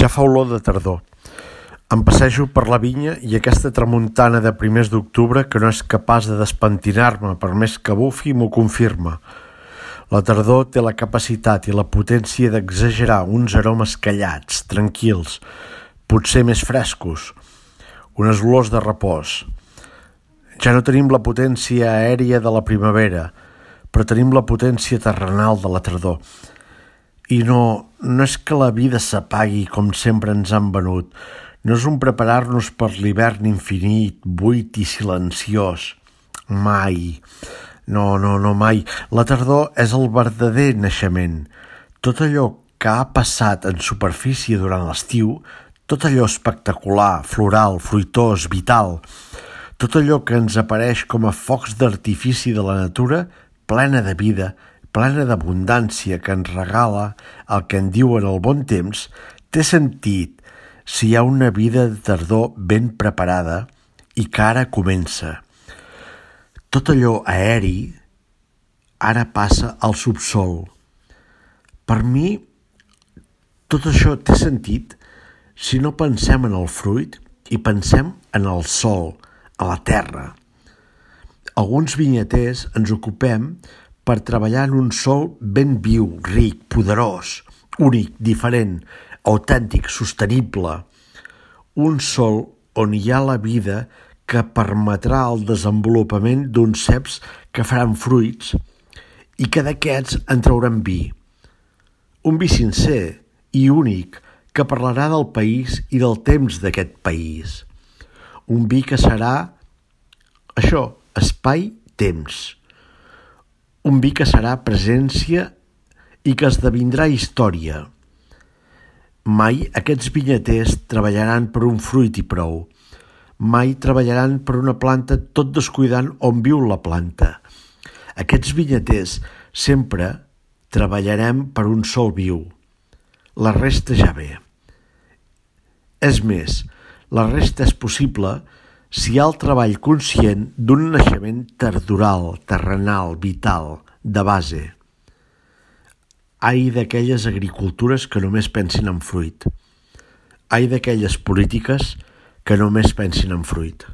Ja fa olor de tardor. Em passejo per la vinya i aquesta tramuntana de primers d'octubre que no és capaç de despentinar-me per més que bufi m'ho confirma. La tardor té la capacitat i la potència d'exagerar uns aromes callats, tranquils, potser més frescos, unes olors de repòs. Ja no tenim la potència aèria de la primavera, però tenim la potència terrenal de la tardor. I no és que la vida s'apagui com sempre ens han venut, no és un preparar-nos per l'hivern infinit, buit i silenciós. Mai. No, mai. La tardor és el verdader naixement. Tot allò que ha passat en superfície durant l'estiu, tot allò espectacular, floral, fruitós, vital, tot allò que ens apareix com a focs d'artifici de la natura, plena de vida, plena d'abundància que ens regala el que en diuen el bon temps, té sentit si hi ha una vida de tardor ben preparada i que ara comença. Tot allò aeri ara passa al subsol. Per mi, tot això té sentit si no pensem en el fruit i pensem en el sol, a la terra. Alguns vinyaters ens ocupem per treballar en un sol ben viu, ric, poderós, únic, diferent, autèntic, sostenible. Un sol on hi ha la vida que permetrà el desenvolupament d'uns ceps que faran fruits i que d'aquests en trauran vi. Un vi sincer i únic que parlarà del país i del temps d'aquest país. Un vi que serà això, espai-temps. Un vi que serà presència i que esdevindrà història. Mai aquests vinyaters treballaran per un fruit i prou. Mai treballaran per una planta tot descuidant on viu la planta. Aquests vinyaters sempre treballarem per un sol viu. La resta ja ve. És més, la resta és possible si hi ha el treball conscient d'un naixement tardoral, terrenal, vital, de base. Ai d'aquelles agricultures que només pensin en fruit. Ai d'aquelles polítiques que només pensin en fruit.